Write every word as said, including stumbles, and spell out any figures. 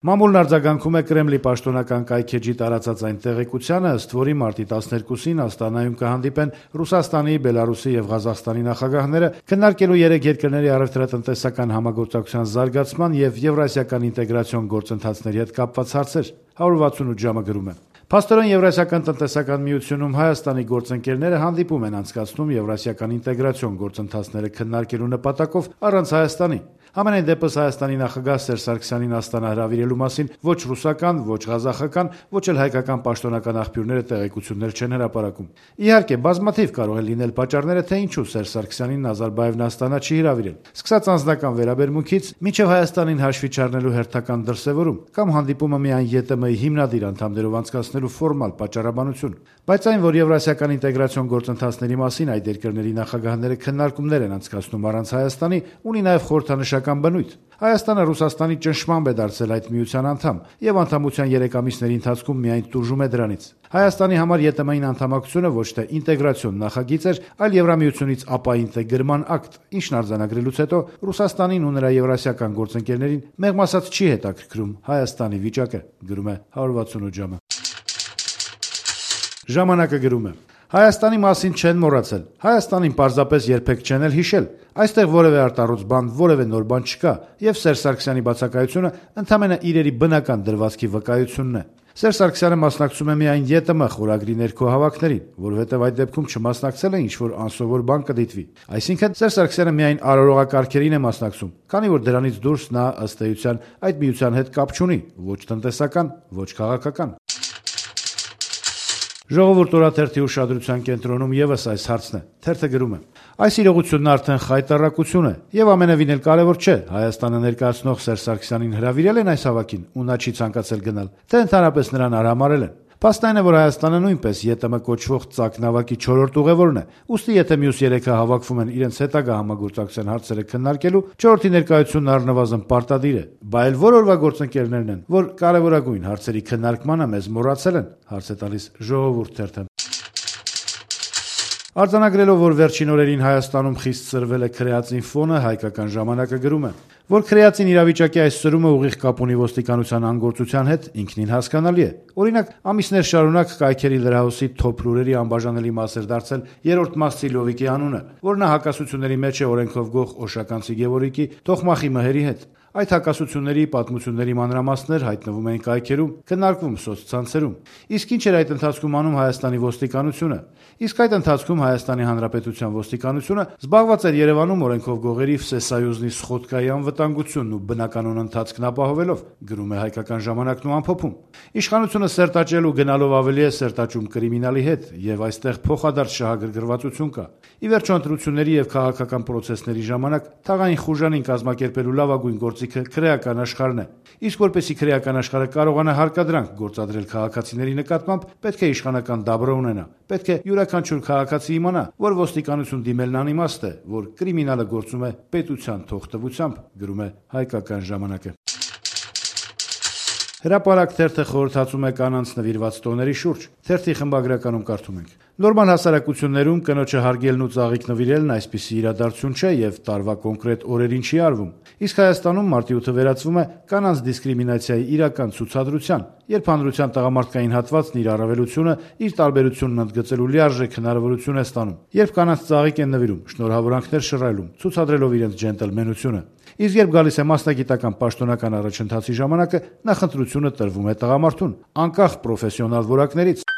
Մամուլն արձագանքում է Կրեմլի պաշտոնական կայքէջի տարածած այն տեղեկությանը, ըստ որի մարտի տասներկուսին Աստանայում կհանդիպեն Ռուսաստանի, Բելարուսի եւ Ղազախստանի նախագահները, քննարկելու երեք երկրների առևտրատնտեսական համագործակցության զարգացման եւ եվրասիական ինտեգրացիոն գործընթացների հետ կապված հարցեր։ one sixty-eight ժամը գրում է. Փաստորեն Եվրասիական տնտեսական միությունում Հայաստանի գործընկերները հանդիպում են անցկացնում եվրասիական ինտեգրացիոն գործընթացները քննարկելու նպատակով առանց Հայաստանի։ Համենայն դեպս Հայաստանի նախագահ Սերժ Սարգսյանին Աստանա հրավիրելու մասին ոչ ռուսական, ոչ ղազախական, ոչ էլ հայկական պաշտոնական աղբյուրները տեղեկություններ չեն հրապարակում։ Իհարկե, բազմաթիվ կարող են լինել պատճառները, թե ինչու Սերժ Սարգսյանին Նազարբաևն Աստանա չի հրավիրել։ Սկսած անձնական վերաբերմունքից մինչև Հայաստանին հաշվի չառնելու հերթական դրսևորում կամ հանդիպումը միայն ԵՏՄ-ի հիմնադիր անդամներով անցկացնելու ֆորմալ պատճառաբանություն, բայց այն, որ եվրասիական ինտեգրացիոն գործընթացների մասին այդ երկրների նախագահները քննարկումներ են անցկացնում առանց Հայաստանի, ունի նաև խորհրդանշական բնույթ։ Հայաստանը Ռուսաստանի ճնշմամբ է դարձել այդ միության անդամ եւ անդամության երեք ամիսների ընթացքում միայն տուժում է դրանից։ Հայաստանի համար ԵՏՄ-ին անդամակցությունը ոչ թե ինտեգրացիոն նախագիծ էր, այլ Եվրամիությունից ապաինտեգրման ակտ, ինչն արձանագրելուց հետո Ռուսաստանին ու նրա եվրասիական գործընկերներին մեղմ ասած չի հետաքրքրում Հայաստանի վիճակը, գրում է one sixty-eight ժամը։ Ժամանակը գրում է. Հայաստանի մասին չեն մոռացել։ Հայաստանին պարզապես երբեք չեն էլ հիշել։ Այստեղ որևէ արտառոց բան, որևէ նոր բան չկա, եւ Սերժ Սարգսյանի բացակայությունը ընդամենը իրերի բնական դրվածքի վկայությունն է։ Սերժ Սարգսյանը մասնակցում է միայն ԵՏՄ խորագրի ներքո հավաքներին, որովհետև այդ դեպքում չմասնակցել է ինչ-որ անսովոր բան կդիտվի։ Այսինքն Սերժ Սարգսյանը միայն արարողակարգերին է մասնակցում, քանի որ դրանից դուրս նա ըստ էության այդ միության հետ կապ չունի, ոչ տնտեսական, ոչ քաղաքական։ Ժողովուրդ օրաթերթի ուշադրության կենտրոնում եւս այս հարցն է։ Թերթը գրում է. Այս իրողությունն արդեն խայտառակություն է եւ ամենևին էլ կարեւոր չէ Հայաստանը ներկայացնող Սերժ Սարգսյանին հրավիրել են այս հավաքին ու նա չի ցանկացել գնալ, թե ընդհանրապես նրան արհամարել են։ Փաստն այն է, որ Հայաստանը նույնպես ԵՏՄ կոչվող ծակ նավակի չորրորդ ուղևորն է, ուստի եթե մյուս երեքը հավաքվում են իրենց հետագա համագործակցության հարցերը քննարկելու, չորրորդի ներկայությունն առնվազն պարտադիր է։ Բա էլ որ օրվա գործընկերներն են, որ կարևորագույն հարցերի քննարկմանը մեզ մոռացել են, հարց է տալիս Ժողովուրդ թերթը։ Արձանագրելով, որ վերջին օրերին Հայաստանում խիստ սրվել է քրեածին ֆոնը, Հայկական ժամանակը գրում է, որ քրեածին իրավիճակի այս սրումը ուղիղ կապ ունի ոստիկանության անգործության հետ, ինքնին հասկանալի է։ Օրինակ, ամիսներ շարունակ կայքերի լրահոսի թոփ լուրերի անբաժանելի մաս էր դարձել երրորդ մասցի Լովիկի անունը, որ նա հակասությունների մեջ է օրենքով գող Օշականցի Գևորգի Թոխմախի մհերի հետ։ Այդ հակասությունների պատմությունների մանրամասներ հայտնվում էին կայքերում, քննարկվում սոցցանցերում։ Իսկ ինչ էր այդ ընթացքում անում Հայաստանի ոստիկանությունը։ Իսկ այդ ընթացքում Հայաստանի Հանրապետության ոստիկանությունը զբաղված էր Երևանում օրենքով գողերի Վսեսայուզնի Սխոդկայի անվտանգությունն ու բնականոն ընթացքն ապահովելով, գրում է Հայկական ժամանակն ու ամփոփում։ Իշխանությունը սերտաճելու գնալով ավելի է սերտաճում կրիմինալի հետ, եւ այստեղ փոխադարձ շահագրգռվածություն կա։ Ի վերջո ընտրությունների եւ քաղաքական պրոցեսների ժամանակ թաղային խուժանին կազմակերպելու լավագույն գործիքը քրեական աշխարհն է։ Իսկ որպեսզի քրեական աշխարհը կարողանա հարկադրանք գործադրել քաղաքացիների նկատմամբ, պետք է իշխանական դաբրո ունենա։ Պետք է յուրաքանչյուր քաղաքացի իմանա, որ ոստիկանություն դիմելն անիմաստ է, որ կրիմինալը գործում է պետության թողտվությամբ, գրում է Հայկական ժամանակը։ Հրապարակ թերթը խորհրդածում է կանանց նվիրված տոների շուրջ։ Թերթի խմբագրականում կարդում ենք. Նորմալ հասարակություններում կնոջը հարգելն ու ծաղիկ նվիրելն այսպիսի իրադարձություն չէ եւ տարվա կոնկրետ օրերին չի արվում։ Իսկ Հայաստանում մարտի ութը վերածվում է կանանց դիսկրիմինացիայի իրական ցուցադրության, երբ հանրության տղամարդկային հատվածն իր առավելությունը, իր տարբերությունն ընդգծելու լիարժեք հնարավորություն է ստանում, երբ կանանց ծաղիկ են նվիրում, շնորհավորանքներ շռայլում, ցուցադրելով իրենց ջենտլմենությունը։ Իսկ երբ գալիս է մասնագիտական պաշտոնական առաջընթացի ժամանակը, նախընտրությունը տրվում է տղամարդուն, անկախ պրոֆեսիոնալ որակներից։